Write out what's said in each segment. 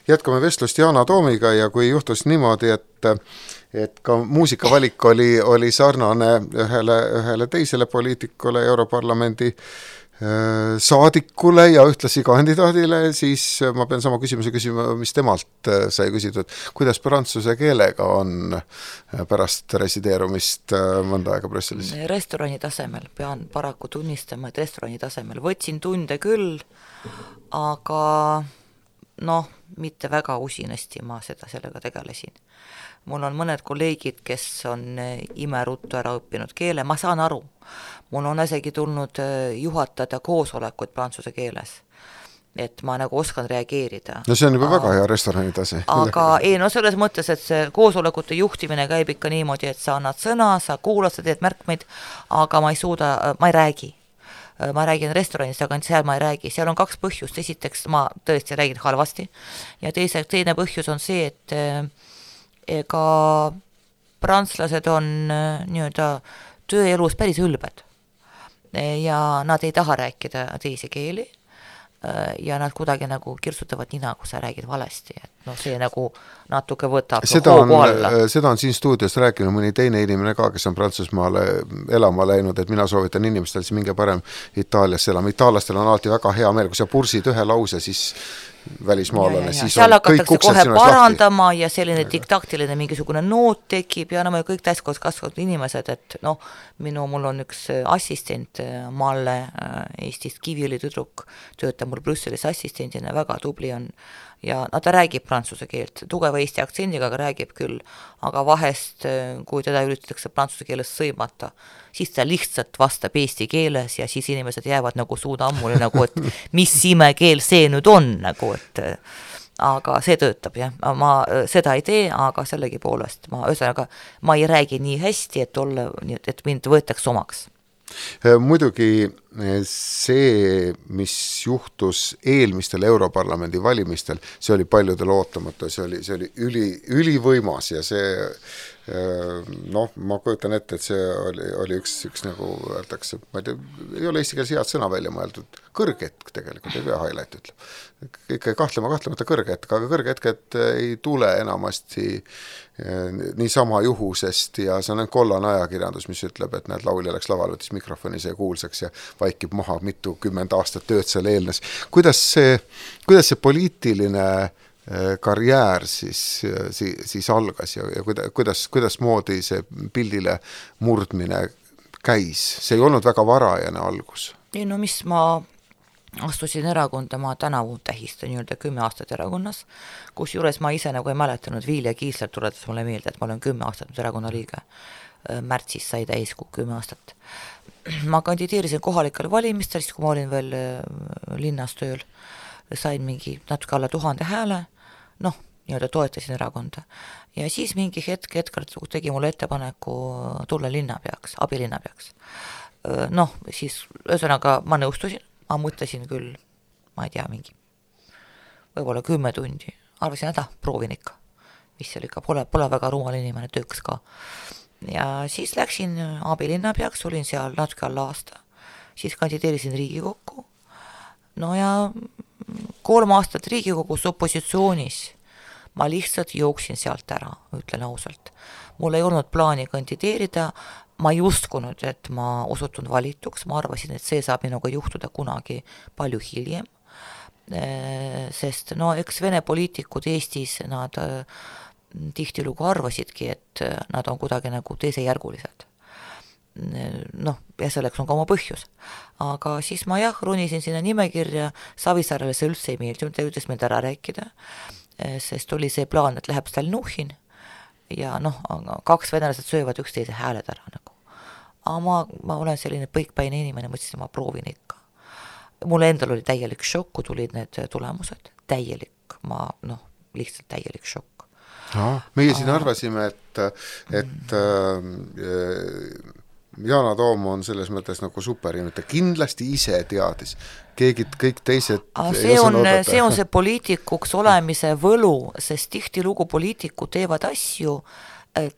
jätkame vestlust Yana Toomiga ja kui juhtus niimoodi, et ka muusikavalik oli sarnane ühele teisele poliitikule, Europarlamendi saadikule ja ühtlasi kandidaadile, siis ma pean sama küsimuse küsima, mis temalt sai küsitud, kuidas prantsuse keelega on pärast resideerumist mõnda aega Brüsselis? Restorani tasemel, pean paraku tunnistama, et restorani tasemel võtsin tunde küll, aga mitte väga usinasti ma sellega tegelesin. Mul on mõned kolleegid, kes on imeruttu ära õppinud keele, ma saan aru. Mul on isegi tulnud juhatada koosolekuid prantsuse keeles, et ma nagu oskan reageerida. No see on juba väga hea restorani tase. Aga selles mõttes, et see koosolekute juhtimine käib ikka niimoodi, et sa annad sõna, sa kuulad, sa teed märkmeid, aga ma ei räägi. Ma räägin restoranis, aga seal ma ei räägi. Seal on kaks põhjust. Esiteks ma tõesti räägin halvasti ja teine põhjus on see, et ega prantslased on tööelus päris ülbed ja nad ei taha rääkida teisi keeli ja nad kuidagi nagu kirsutavad nina, kui sa räägid valesti, et see nagu natuke võtab hoogu alla. Seda on siin stuudios rääkinud mõni teine inimene ka, kes on Prantsusmaale elama läinud, et mina soovitan inimestel siis minge parem Itaaliasse elama. Itaallastel on alati väga hea meel, kui sa pursid ühe lause, siis välismaalane, siis seal on kõik uksed kohe sinust parandama lahti. Ja selline diktaktiline mingisugune noot tekib ja me kõik täiskoos kasvavad inimesed, et mul on üks assistent Malle Eestist Kiviõli tüdruk, töötab mul Brüsselis assistendina, väga tubli on ja ta räägib prantsuse keelt, tugeva eesti aktsendiga, aga räägib küll, aga vahest, kui teda üritatakse prantsuse keeles sõimata, siis ta lihtsalt vastab eesti keeles ja siis inimesed jäävad nagu suuda ammuli, nagu, et mis imekeel see nüüd on, nagu, et aga see töötab, jah. Ma seda ei tee, aga sellegi poolest ma ei räägi nii hästi, et mind võetaks omaks. Muidugi see, mis juhtus eelmistel Europarlamendi valimistel, see oli paljudel ootamatu, see oli ülivõimas ja see ma kujutan ette, et see oli üks nagu öeldakse, ma ei tea, ei ole eesti keeles head sõna välja mõeldud, kõrgetk tegelikult, ei pea highlight ütleb. Ikka kahtlemata kõrgetk, aga kõrgetked ei tule enamasti niisama juhusest ja see on kollane ajakirjandus, mis ütleb, et need laulja läks lavale, võttis mikrofoni see kuulsaks ja vaikib maha 20 aastat tööd seal eelnes. Kuidas see poliitiline karjäär siis algas ja kuidas moodi see pildile murdmine käis? See ei olnud väga varajane algus. Ei, mis ma astusin erakonda, ma tänavu tähistan 10 aastat erakonnas, kus juures ma ise nagu ei mäletanud, Vilja Kiisler tuletas mulle meelde, et ma olen 10 aastat nüüd erakonna liige. Märtsis sai täiskuu 10 aastat. Ma kandideerisin kohalikel valimistel, siis kui ma olin veel linnas tööl, sain mingi natuke alla 1000 hääle, toetasin erakonda. Ja siis mingi hetk tegi mulle ettepaneku tulla linnapeaks, abilinnapeaks. Siis ühesõnaga ma nõustusin, ma mõtlesin küll, ma ei tea, võib-olla 10 tundi. Arvasin, proovin ikka, mis seal ikka, pole väga rumal inimene, tööks ka. Ja siis läksin abilinnapeaks, olin seal natuke alla aasta. Siis kandideerisin Riigikokku. Ja 3 aastat Riigikogus opositsioonis ma lihtsalt jooksin sealt ära, ütlen ausalt. Mul ei olnud plaani kandideerida, ma ei uskunud, et ma osutun valituks, ma arvasin, et see saab minuga juhtuda kunagi palju hiljem, sest eks Vene poliitikud Eestis, nad tihtilugu arvasidki, et nad on kuidagi nagu teisejärgulised. Ja selleks on ka oma põhjus. Aga siis ma ronisin sinna nimekirja, Savisaarele see üldse ei meeldinud, ta ütles meilt ära rääkida, sest oli see plaan, et läheb Stalnuhhin ja 2 venelased söövad üksteise hääled ära nagu. Aga ma olen selline põikpäine inimene, mõtlesin, ma proovin ikka. Mulle endal oli täielik šokk, kui tulid need tulemused. Täielik, lihtsalt täielik šokk. Meie siin arvasime, et Yana Toom on selles mõttes nagu superinimene, ta kindlasti ise teadis. Kõik teised see on see poliitikuks olemise võlu, sest tihtilugu poliitikud teevad asju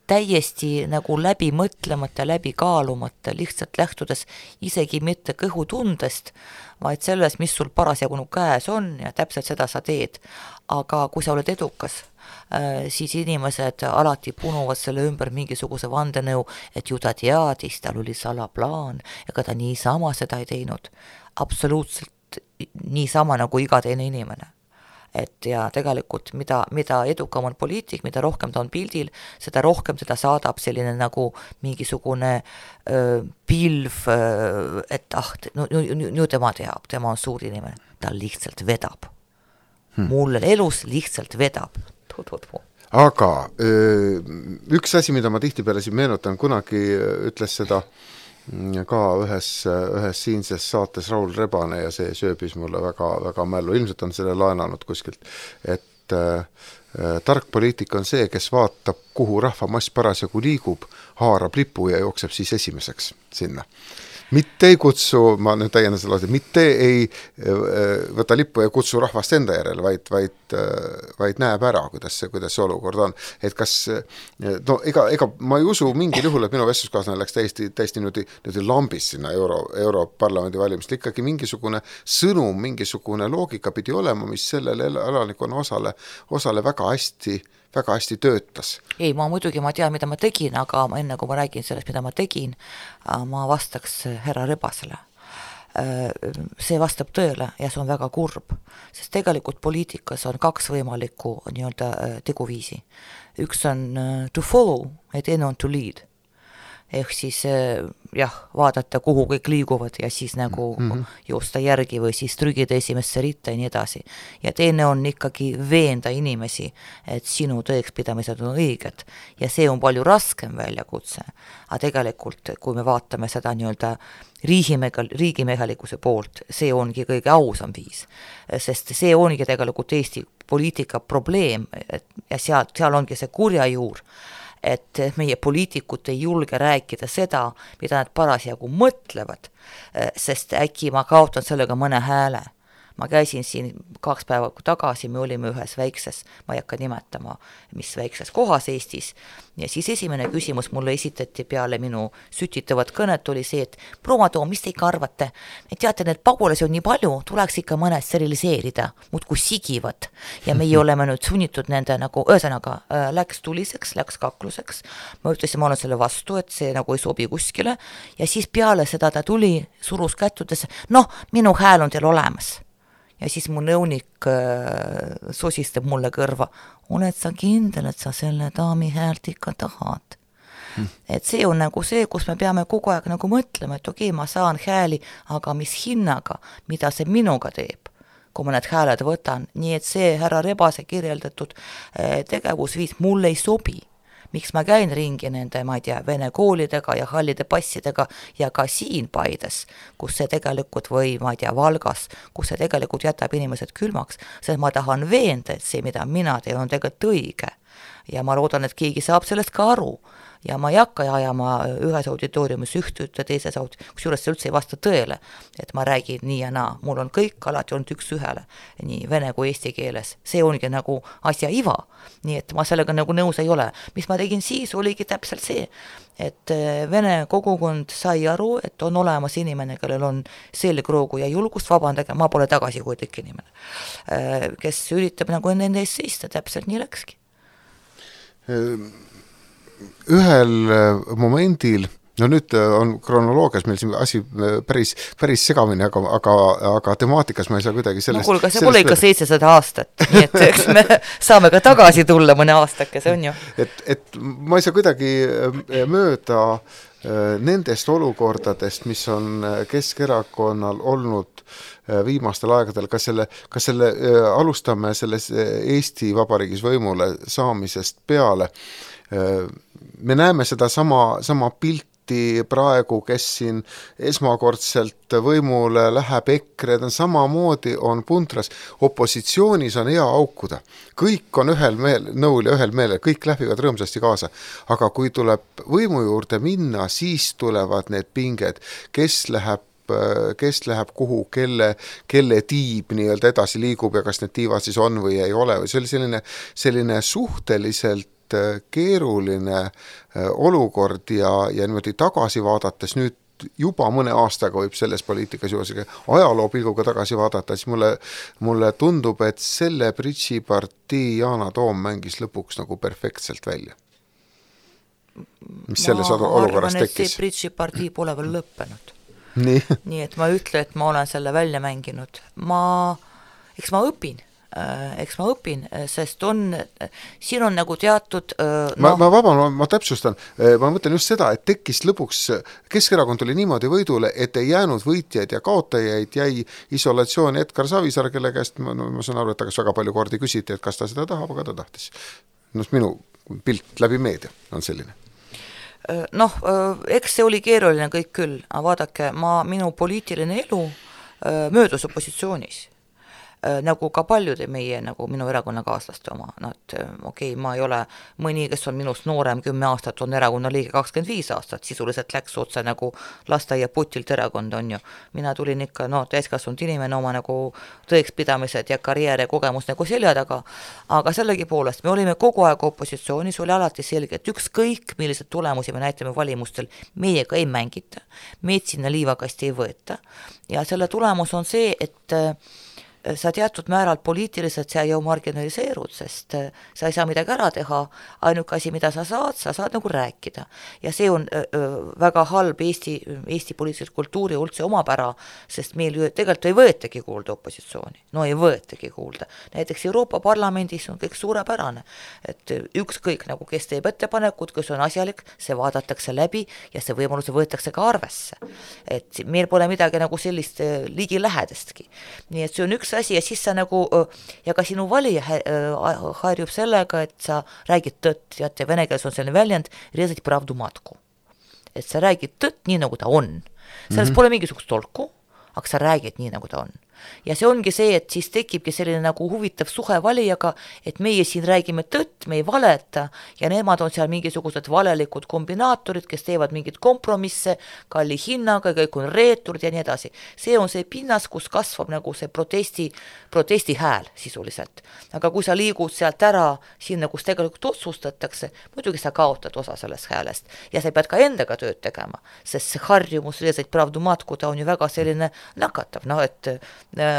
täiesti nagu läbi mõtlemata, läbi kaalumata, lihtsalt lähtudes isegi mitte kõhutundest, vaid selles, mis sul parasjagu käes on ja täpselt seda sa teed. Aga kui sa oled edukas, siis inimesed alati punuvad selle ümber mingisuguse vandenõu, et ju ta teadis, tal oli salaplaan, ega ta niisama seda ei teinud. Absoluutselt niisama nagu iga teine inimene. Et ja tegelikult mida edukam on poliitik, mida rohkem ta on pildil, seda rohkem teda saadab selline nagu mingisugune pilv, et nüüd tema teab, tema on suur inimene, ta lihtsalt vedab. Mulle elus lihtsalt vedab. Aga üks asi, mida ma tihtipeale siin meenutan, kunagi ütles seda ka ühes siinses saates Raul Rebane ja see sööbis mulle väga, väga mällu. Ilmselt on selle laenanud kuskilt, et tark poliitik on see, kes vaatab, kuhu rahvamass parasjagu liigub, haarab lipu ja jookseb siis esimeseks sinna. Mitte ei kutsu, ma nüüd täiendan selle lause, mitte ei võta lippu ja kutsu rahvast enda järele, vaid näeb ära, kuidas see olukord on. Et kas, no ega ma ei usu mingil juhul, et minu vestluskaaslane läks täiesti nüüd lambis sinna Europarlamendi valimist. Ikkagi mingisugune sõnum, mingisugune loogika pidi olema, mis sellele elanikonna osale väga hästi töötas. Ei, ma tean, mida ma tegin, aga enne kui ma räägin sellest, mida ma tegin, ma vastaks härra Rebasele. See vastab tõele ja see on väga kurb, sest tegelikult poliitikas on 2 võimalikku nii-öelda teguviisi. Üks on to follow ja teine on to lead. Ehk siis vaadata, kuhu kõik liiguvad ja siis nagu joosta järgi või siis trügida esimesse ritta ja nii edasi. Ja teine on ikkagi veenda inimesi, et sinu tõekspidamised on õiged ja see on palju raskem väljakutse. Aga tegelikult, kui me vaatame seda nii-öelda riigimehelikkuse poolt, see ongi kõige ausam viis, sest see ongi tegelikult Eesti poliitika probleem ja seal ongi see kurja juur, et meie poliitikud ei julge rääkida seda, mida nad parasjagu mõtlevad, sest äkki ma kaotan sellega mõne hääle. Ma käisin siin 2 päeva tagasi, me olime ühes väikses, ma ei hakka nimetama, mis väikses kohas Eestis, ja siis esimene küsimus mulle esitati peale minu sütitavat kõnet oli see, et proua Toom, mis te ikka arvate? Et teate, need pagulasi on nii palju, tuleks ikka mõned steriliseerida, muudkui sigivad, ja meie oleme nüüd sunnitud nende nagu, ühesõnaga, läks tuliseks, läks kakluseks, ma ütlesin, ma olen selle vastu, et see nagu ei sobi kuskile, ja siis peale seda ta tuli, surus kättudes, minu hääl on teil olemas. Ja siis mu nõunik sosistab mulle kõrva, oled sa kindel, et sa selle daami häält ikka tahad. Et see on nagu see, kus me peame kogu aeg nagu mõtlema, et okei, ma saan hääli, aga mis hinnaga, mida see minuga teeb, kui ma need hääled võtan. Nii et see härra Rebase kirjeldatud tegevusviis mulle ei sobi. Miks ma käin ringi nende, ma ei tea, vene koolidega ja hallide passidega ja ka siin Paides, kus see tegelikult või, ma ei tea, Valgas, kus see tegelikult jätab inimesed külmaks, sest ma tahan veenda, et see, mida mina teen, on tegelikult õige. Ja ma loodan, et keegi saab sellest ka aru. Ja ma ei hakka ajama ühes auditooriumis ühte teises kusjuures see üldse ei vasta tõele, et ma räägin nii ja naa. Mul on kõik alati olnud 1-1, nii vene kui eesti keeles. See ongi nagu asja iva, nii et ma sellega nagu nõus ei ole. Mis ma tegin siis, oligi täpselt see, et vene kogukond sai aru, et on olemas inimene, kellel on selgroogu ja julgust, vabandage, ma pole tagasihoidlik inimene, kes üritab nagu nende ees seista, täpselt nii läkski. Ühel momendil, no nüüd on kronoloogias meil siin asi päris segamini, aga temaatikas ma ei saa kuidagi sellest... kuulge, see pole ikka 700 aastat, nii et eks me saame ka tagasi tulla mõne aastake, see on ju. Et ma ei saa kuidagi mööda nendest olukordadest, mis on Keskerakonnal olnud viimastel aegadel, kas selle alustame selles Eesti Vabariigis võimule saamisest peale. Me näeme seda sama pilti praegu, kes siin esmakordselt võimule läheb EKRE, ta samamoodi on puntras, opositsioonis on hea aukuda. Kõik on ühel nõul ja ühel meelel, kõik läbivad rõõmsasti kaasa. Aga kui tuleb võimu juurde minna, siis tulevad need pinged, kes läheb kuhu, kelle tiib nii-öelda edasi liigub ja kas need tiivad siis on või ei ole. See oli selline suhteliselt keeruline olukord ja niimoodi tagasi vaadates nüüd juba mõne aastaga võib selles poliitikas juurde ajaloo pilguga tagasi vaadata, siis mulle tundub, et selle bridžipartii Yana Toom mängis lõpuks nagu perfektselt välja. Mis selles olukorras tekkis? See bridžipartii pole veel lõppenud. Nii et ma ütlen, et ma olen selle välja mänginud. Eks ma õpin, sest siin on nagu teatud ma täpsustan, ma mõtlen just seda, et tekkis lõpuks, Keskerakond tuli niimoodi võidule, et ei jäänud võitjaid ja kaotajaid, jäi isolatsiooni Edgar Savisaar, kelle käest ma saan aru, et ta kas väga palju kordi küsiti, et kas ta seda tahab, aga ta tahtis. Minu pilt läbi meedia on selline. Eks see oli keeruline kõik küll, aga vaadake, minu poliitiline elu möödus opositsioonis. Nagu ka paljude meie, nagu minu erakonnakaaslaste oma, ma ei ole mõni, kes on minust noorem 10 aastat, on erakonna liige 25 aastat, sisuliselt läks otse nagu lasteaia putilt erakond, on ju. Mina tulin ikka, täiskasvanud inimene oma nagu tõekspidamised ja karjääri kogemus nagu selja taga, aga sellegi poolest me olime kogu aeg opositsioonis, oli alati selge, et ükskõik millised tulemusi me näitame valimustel, meiega ei mängita, meid sinna liivakasti ei võeta ja selle tulemus on see, et sa teatud määral poliitiliselt sa ju marginaliseerud, sest sa ei saa midagi ära teha, ainuke asi, mida sa saad nagu rääkida. Ja see on väga halb Eesti poliitilise kultuuri üldse omapära, sest meil ju tegelikult ei võetagi kuulda opositsiooni. Ei võetagi kuulda. Näiteks Euroopa Parlamendis on kõik suurepärane, et ükskõik nagu kes teeb ettepanekud, kes on asjalik, see vaadatakse läbi ja see võimalus võetakse ka arvesse. Et meil pole midagi nagu sellist ligi lähedestki. Nii et see on üks asi ja siis sa nagu, ja ka sinu valija harjub sellega, et sa räägid tõtt, ja vene keeles on selline väljend, rezать pravdu matku. Et sa räägid tõtt nii, nagu ta on. Selles pole mingisugust tolku, aga sa räägid nii, nagu ta on. Ja see ongi see, et siis tekibki selline nagu huvitav suhe valijaga, et meie siin räägime tõtt, me ei valeta ja nemad on seal mingisugused valelikud kombinaatorid, kes teevad mingid kompromisse kalli hinnaga, kõik on reeturid ja nii edasi. See on see pinnas, kus kasvab nagu see protesti hääl sisuliselt. Aga kui sa liigud sealt ära sinna, kus tegelikult otsustatakse, muidugi sa kaotad osa sellest häälest ja sa pead ka endaga tööd tegema, sest see harjumus rezать pravdu matku, ta on ju väga selline nakatav, et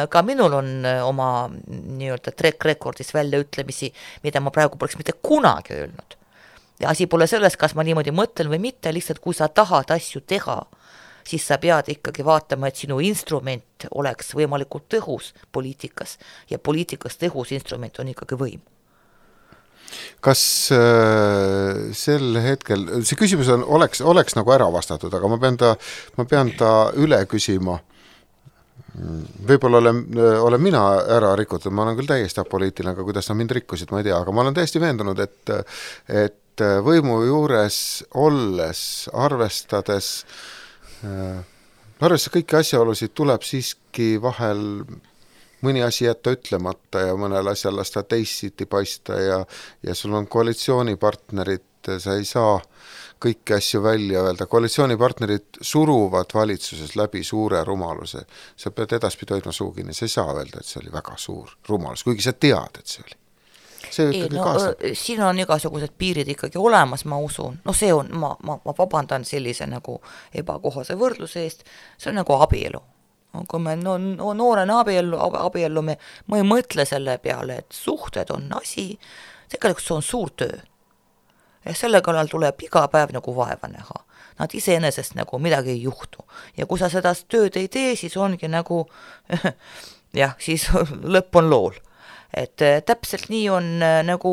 ka minul on oma nii-öelda track recordis väljaütlemisi, mida ma praegu poleks mitte kunagi öelnud. Ja asi pole selles, kas ma niimoodi mõtlen või mitte, lihtsalt kui sa tahad asju teha, siis sa pead ikkagi vaatama, et sinu instrument oleks võimalikult tõhus poliitikas ja poliitikas tõhus instrument on ikkagi võim. Kas sel hetkel, see küsimus oleks nagu ära vastatud, aga ma pean ta üle küsima. Võib-olla olen mina ära rikutud, ma olen küll täiesti apoliitiline, aga kuidas nad mind rikkusid, ma ei tea, aga ma olen täiesti veendunud, et võimu juures olles, arvestades kõiki asjaolusid tuleb siiski vahel mõni asi jätta ütlemata ja mõnel asjal lasta teisiti paista ja sul on koalitsioonipartnerid, sa ei saa kõiki asju välja öelda. Koalitsioonipartnerid suruvad valitsuses läbi suure rumaluse. Sa pead edaspidi hoidma suugini, sa ei saa öelda, et see oli väga suur rumalus, kuigi sa tead, et see oli. Siin on igasugused piirid ikkagi olemas, ma usun. See on, ma vabandan sellise nagu ebakohase võrdluse eest, see on nagu abielu. Kui me noorena abiellume, ma ei mõtle selle peale, et suhted on asi, tegelikult see on suur töö. Ja selle kallal tuleb iga päev nagu vaeva näha. Nad iseenesest nagu midagi ei juhtu. Ja kui sa seda tööd ei tee, siis ongi nagu, siis lõpp on lool. Et täpselt nii on nagu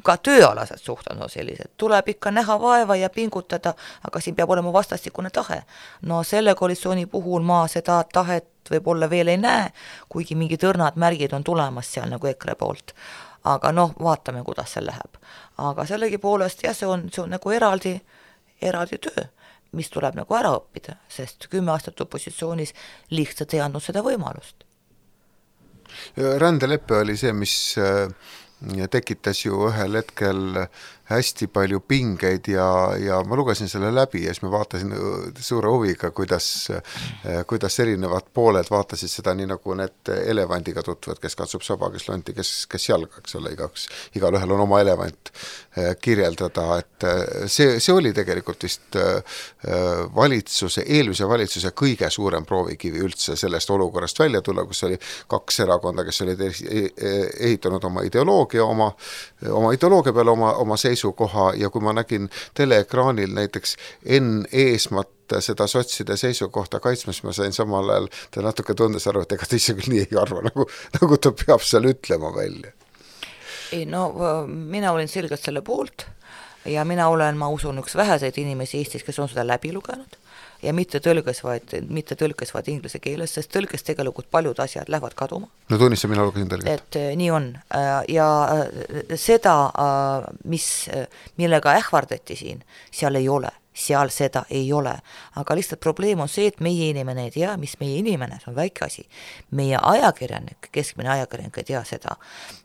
ka tööalased suhted sellised. Tuleb ikka näha vaeva ja pingutada, aga siin peab olema vastastikune tahe. Selle koalitsiooni puhul ma seda tahet võib-olla veel ei näe, kuigi mingid õrnad märgid on tulemas seal nagu EKRE poolt. Aga vaatame, kuidas see läheb. Aga sellegi poolest, see on nagu eraldi töö, mis tuleb nagu ära õppida, sest 10 aastat opositsioonis lihtsalt ei andnud seda võimalust. Rändeleppe oli see, mis tekitas ju ühel hetkel hästi palju pingeid ja ma lugesin selle läbi ja siis ma vaatasin suure huviga, kuidas erinevad pooled vaatasid seda nii nagu need elevandiga tutvuvad, kes katsub saba, kes lonti, kes jalga, eks ole, igalühel on oma elevant kirjeldada, et see oli tegelikult vist eelmise valitsuse kõige suurem proovikivi üldse sellest olukorrast välja tulla, kus oli 2 erakonda, kes olid ehitanud oma ideoloogia peale oma seisukoha ja kui ma nägin teleekraanil näiteks Enn Eesmat seda sotside seisukohta kaitsmas, ma sain samal ajal, ta natuke tundes aru, et ega ta ise küll nii ei arva, nagu ta peab seal ütlema välja. Ei, no mina olin selgelt selle poolt ja ma usun, üks väheseid inimesi Eestis, kes on seda läbi lugenud ja mitte tõlkes, vaid inglise keeles, sest tõlkes tegelikult paljud asjad lähevad kaduma. No tunnista, mina lugesin tõlget. Et nii on ja seda, millega ähvardati siin, seal ei ole. Seal seda ei ole. Aga lihtsalt probleem on see, et meie inimene ei tea, mis meie inimene, see on väike asi. Meie ajakirjanik, keskmine ajakirjanik ei tea seda,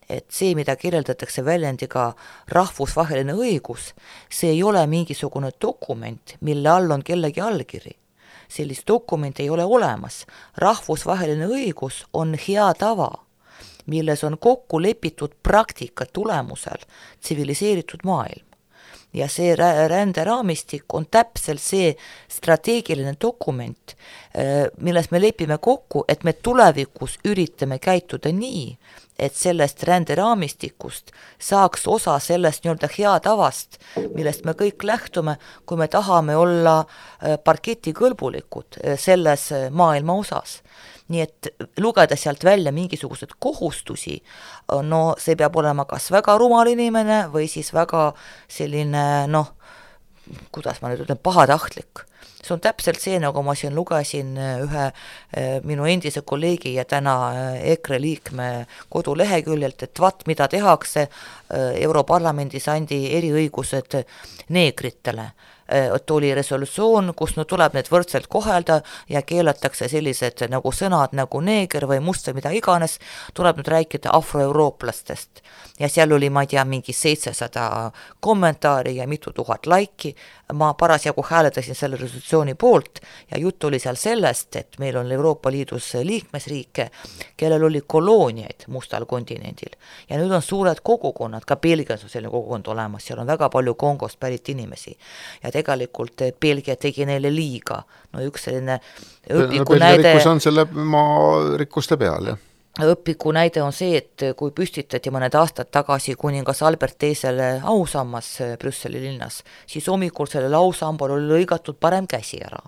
et see, mida kirjeldatakse väljendiga rahvusvaheline õigus, see ei ole mingisugune dokument, mille all on kellegi allkiri. Sellist dokumenti ei ole olemas. Rahvusvaheline õigus on hea tava, milles on kokku lepitud praktika tulemusel tsiviliseeritud maailm. Ja see ränderaamistik on täpselt see strateegiline dokument, milles me lepime kokku, et me tulevikus üritame käituda nii, et sellest ränderaamistikust saaks osa sellest nii-öelda hea tavast, millest me kõik lähtume, kui me tahame olla parketikõlbulikud selles maailma osas. Nii et lugeda sealt välja mingisugused kohustusi, no see peab olema kas väga rumal inimene või siis väga selline, kuidas ma nüüd ütlen, pahatahtlik. See on täpselt see, nagu ma siin lugesin ühe minu endise kolleegi ja täna EKRE liikme koduleheküljelt, et mida tehakse, Europarlamendis andi eriõigused neegritele. Et oli resolutsioon, kus tuleb need võrdselt kohelda ja keelatakse sellised nagu sõnad nagu neeger või must või mida iganes, tuleb nüüd rääkida afroeurooplastest. Ja seal oli, ma ei tea, mingi 700 kommentaari ja mitu tuhat laiki. Ma parasjagu hääletasin selle resolutsiooni poolt ja jutt oli seal sellest, et meil on Euroopa Liidus liikmesriike, kellel oli kolooniaid mustal kontinendil. Ja nüüd on suured kogukonnad, ka Belgias on selline kogukond olemas, seal on väga palju Kongost pärit inimesi. Ja tegelikult Belgia tegi neile liiga. No üks selline õpiku näide... Belgia rikkus on selle maa rikkuste peal, jah. Õpiku näide on see, et kui püstitati mõned aastad tagasi kuningas Albert teisele ausammas Brüsseli linnas, siis hommikul sellel ausambal oli lõigatud parem käsi ära,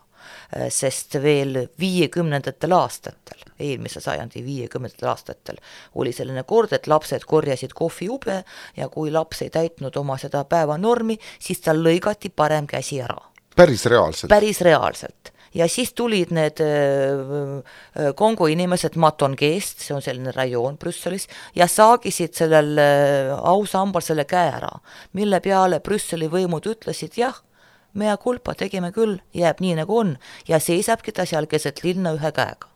sest veel 50. aastatel, eelmise sajandi 50. aastatel oli selline kord, et lapsed korjasid kohvijube ja kui laps ei täitnud oma seda päevanormi, siis tal lõigati parem käsi ära. Päris reaalselt? Päris reaalselt. Ja siis tulid need Kongo inimesed Matongeest, see on selline rajoon Brüsselis, ja saagisid sellel ausambal selle käe ära, mille peale Brüsseli võimud ütlesid, jah, mea kulpa tegime küll, jääb nii nagu on, ja seisabki ta seal keset linna ühe käega.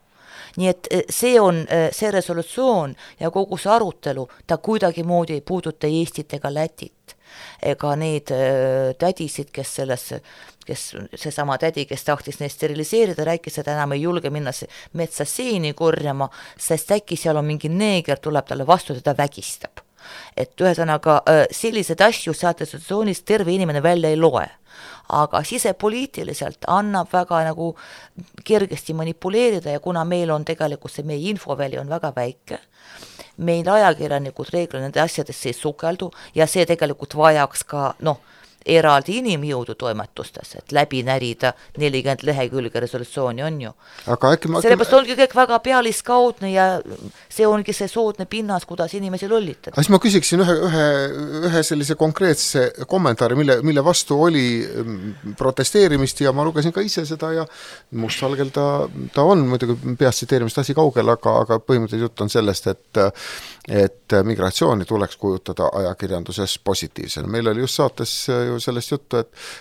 Nii et see on see resolutsioon ja kogu see arutelu, ta kuidagi moodi ei puuduta Eestit ega Lätit. Ega neid tädisid, kes seesama tädi, kes tahtis neid steriliseerida, rääkis, et enam ei julge minna metsa seeni korjama, sest äkki seal on mingi neeger, tuleb talle vastu, teda vägistab. Et ühesõnaga sellised asju sealt resolutsioonist terve inimene välja ei loe. Aga sisepoliitiliselt annab väga nagu kergesti manipuleerida ja kuna meil on tegelikult see meie infoväli on väga väike, meil ajakirjanikud reeglina nende asjadesse ei sukeldu ja see tegelikult vajaks ka eraldi inimjõudu toimetustes, et läbi närida 40 lehekülge resolutsiooni on ju. Sellepärast ongi kõik väga pealiskaudne ja see ongi see soodne pinnas, kuidas inimesi lollitada. Siis ma küsiksin ühe sellise konkreetse kommentaari, mille vastu oli protesteerimist ja ma lugesin ka ise seda ja mustvalgel ta on, muidugi peast tsiteerimist asi kaugel, aga põhimõtteliselt jutt on sellest, et migratsiooni tuleks kujutada ajakirjanduses positiivsena. Meil oli just saates ju sellest juttu,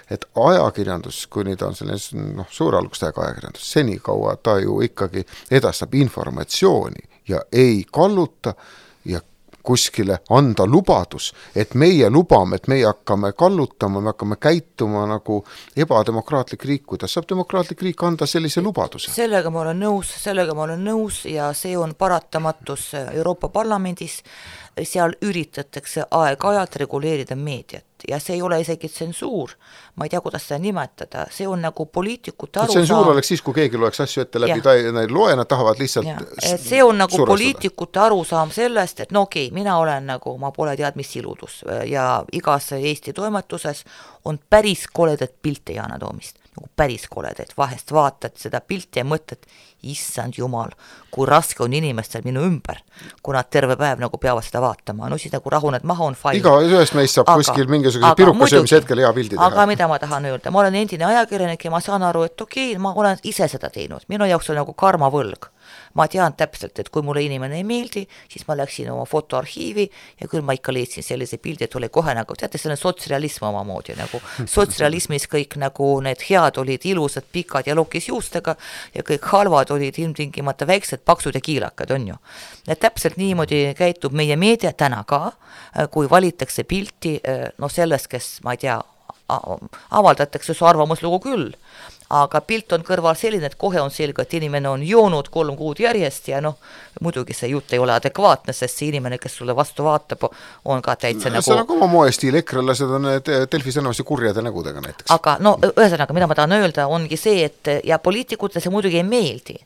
et ajakirjandus, kuni ta on selline suur algustega ajakirjandus, senikaua ta ju ikkagi edastab informatsiooni ja ei kalluta ja kuskile anda lubadus, et meie lubame, et meie hakkame kallutama, me hakkame käituma nagu ebademokraatlik riik, kuidas saab demokraatlik riik anda sellise lubaduse? Sellega ma olen nõus ja see on paratamatus Euroopa Parlamendis, seal üritatakse aeg-ajalt reguleerida meediat ja see ei ole isegi tsensuur, ma ei tea, kuidas seda nimetada, see on nagu poliitikute arusaam. Tsensuur oleks siis, kui keegi loeks asju ette läbi, nad loe, nad tahavad lihtsalt see on nagu poliitikute arusaam sellest, et no okei, mina olen nagu, ma pole tead mis iludus ja igas Eesti toimetuses on päris koledat pilte Yana Toomist, nagu päris koledat, vahest vaatad seda pilti ja mõtled, issand jumal, kui raske on inimestel minu ümber, kui nad terve päev nagu peavad seda vaatama, no siis nagu rahuned maha on fine. Iga ühest meist saab kuskil mingisuguse pirukasöömise hetkel hea pildi teha. Aga mida ma tahan öelda, ma olen endine ajakirjanik ja ma saan aru, et okei, ma olen ise seda teinud, minu jaoks on nagu karmavõlg. Ma tean täpselt, et kui mulle inimene ei meeldi, siis ma läksin oma fotoarhiivi ja küll ma ikka leidsin sellise pildi, et oli kohe nagu, teate, see on sotsrealism omamoodi, nagu sotsrealismis kõik nagu need head olid ilusad, pikad ja lokis juustega ja kõik halvad olid ilmtingimata väiksed, paksud ja kiilakad, on ju. Ja täpselt niimoodi käitub meie meedia täna ka, kui valitakse pilti, no sellest, kes, ma ei tea, avaldatakse su arvamuslugu küll, aga pilt on kõrval selline, et kohe on selge, et inimene on joonud 3 kuud järjest ja noh, muidugi see jutt ei ole adekvaatne, sest see inimene, kes sulle vastu vaatab, on ka täitsa nagu... See on nagu oma moestiil, ekrelased on Delfis enamasti kurjade nägudega näiteks. Aga no, ühesõnaga, mida ma tahan öelda, ongi see, et ja poliitikutele see muidugi ei meeldi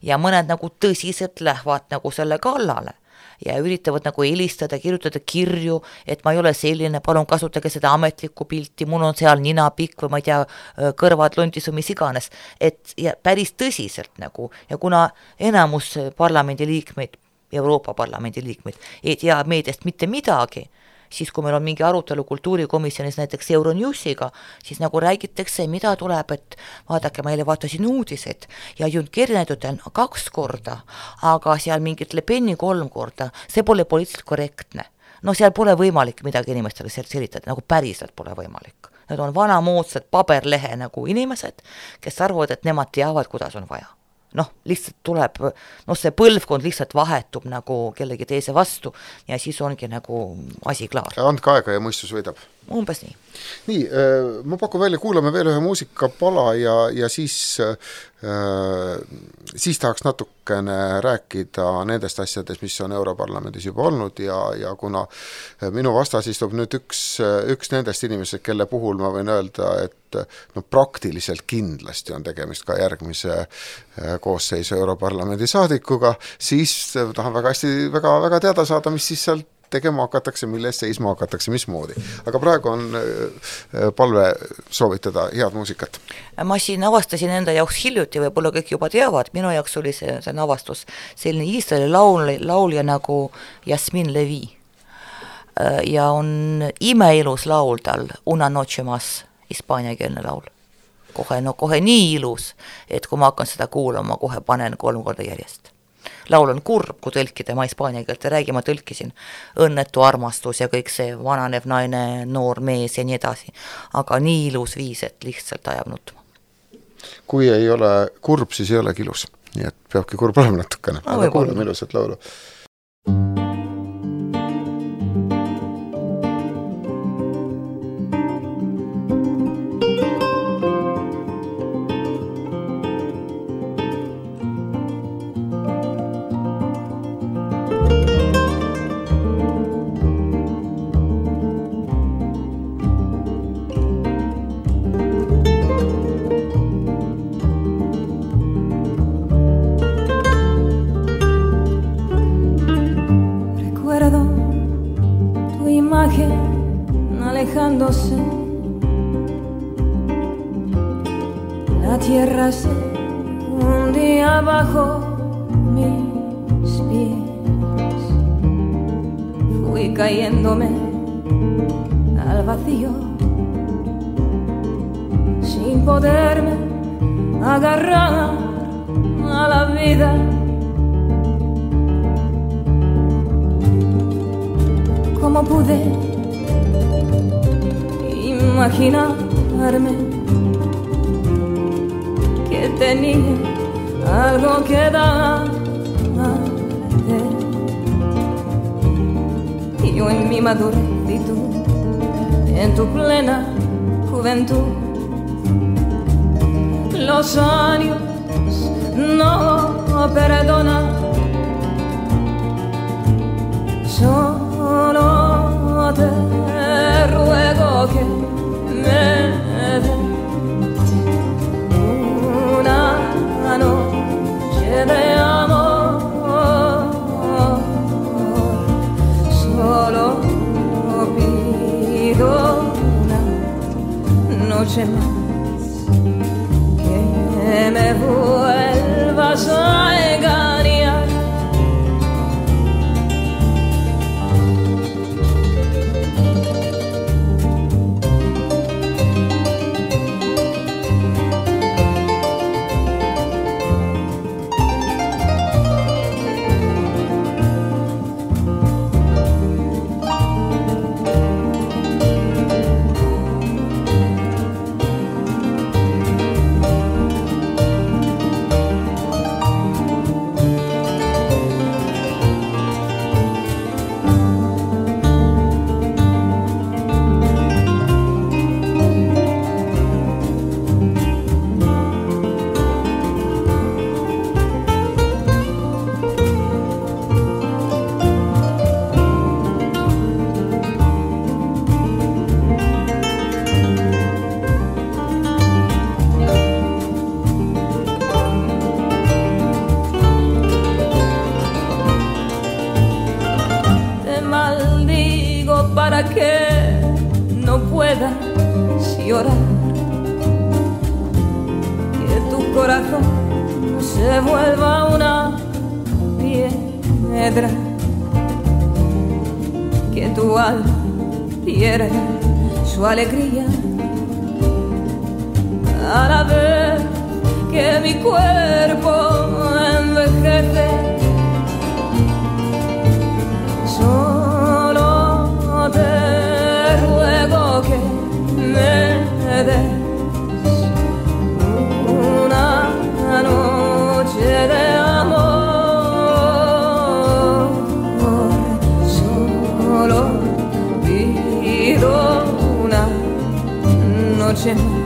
ja mõned nagu tõsiselt lähevad nagu selle kallale ja üritavad nagu helistada, kirjutada kirju, et ma ei ole selline, palun kasutage seda ametlikku pilti, mul on seal nina pikk või ma ei tea, kõrvad londis või mis iganes, et ja päris tõsiselt nagu, ja kuna enamus parlamendi liikmeid, Euroopa Parlamendi liikmeid ei tea meediast mitte midagi, siis kui meil on mingi arutelu kultuurikomisjonis näiteks Euronewsiga, siis nagu räägitakse, mida tuleb, et vaadake, ma eile vaatasin uudiseid ja Jünd Kernetud on 2 korda, aga seal mingit Le Peni 3 korda, see pole poliitiliselt korrektne. No seal pole võimalik midagi inimestele selitada, nagu päriselt pole võimalik. Need on vanamoodsad paberlehe nagu inimesed, kes arvavad, et nemad teavad, kuidas on vaja. Noh, lihtsalt tuleb, see põlvkond lihtsalt vahetub nagu kellegi teise vastu ja siis ongi nagu asi klaar. Andke aega ja mõistus võidab. Umbes nii. Nii, ma pakun välja, kuulame veel ühe muusikapala ja siis tahaks natukene rääkida nendest asjadest, mis on Europarlamendis juba olnud ja kuna minu vastas istub nüüd üks nendest inimesed, kelle puhul ma võin öelda, et no praktiliselt kindlasti on tegemist ka järgmise koosseisu Europarlamendi saadikuga, siis tahan väga teada saada, mis siis sealt tegema hakatakse, milles seisma hakatakse, mismoodi. Aga praegu on palve soovitada head muusikat. Ma siin avastasin enda jaoks hiljuti, võib-olla kõik juba teavad, minu jaoks oli see avastus selline Iisraeli laulja nagu Jasmin Levi. Ja on imeilus laul tal, Una noche más, hispaaniakeelne laul. Kohe nii ilus, et kui ma hakkan seda kuulama, kohe panen 3 korda järjest. Laul on kurb, kui tõlkida, ma hispaania keelt ei räägi, ma tõlkisin õnnetu armastus ja kõik see vananev naine, noor mees ja nii edasi. Aga nii ilus viis, et lihtsalt ajab nutma. Kui ei ole kurb, siis ei olegi ilus. Nii et peabki kurb olema natukene. Aga kuulame ilusat laulu. La tierra se hundía bajo mis pies. Fui cayéndome al vacío sin poderme agarrar a la vida. ¿Cómo pude imaginarme que tenía algo que dar? yo en mi madurez y tú en tu plena juventud. Los años no perdonan, solo te ruego que me des una noche de amor, solo pido una noche más, que me vuelvas a engañar. Para que no puedas llorar, que tu corazón se vuelva una piedra, que tu alma pierda su alegría a la vez que mi cuerpo envejece. Te ruego que me des una noche de amor, solo pido una noche más.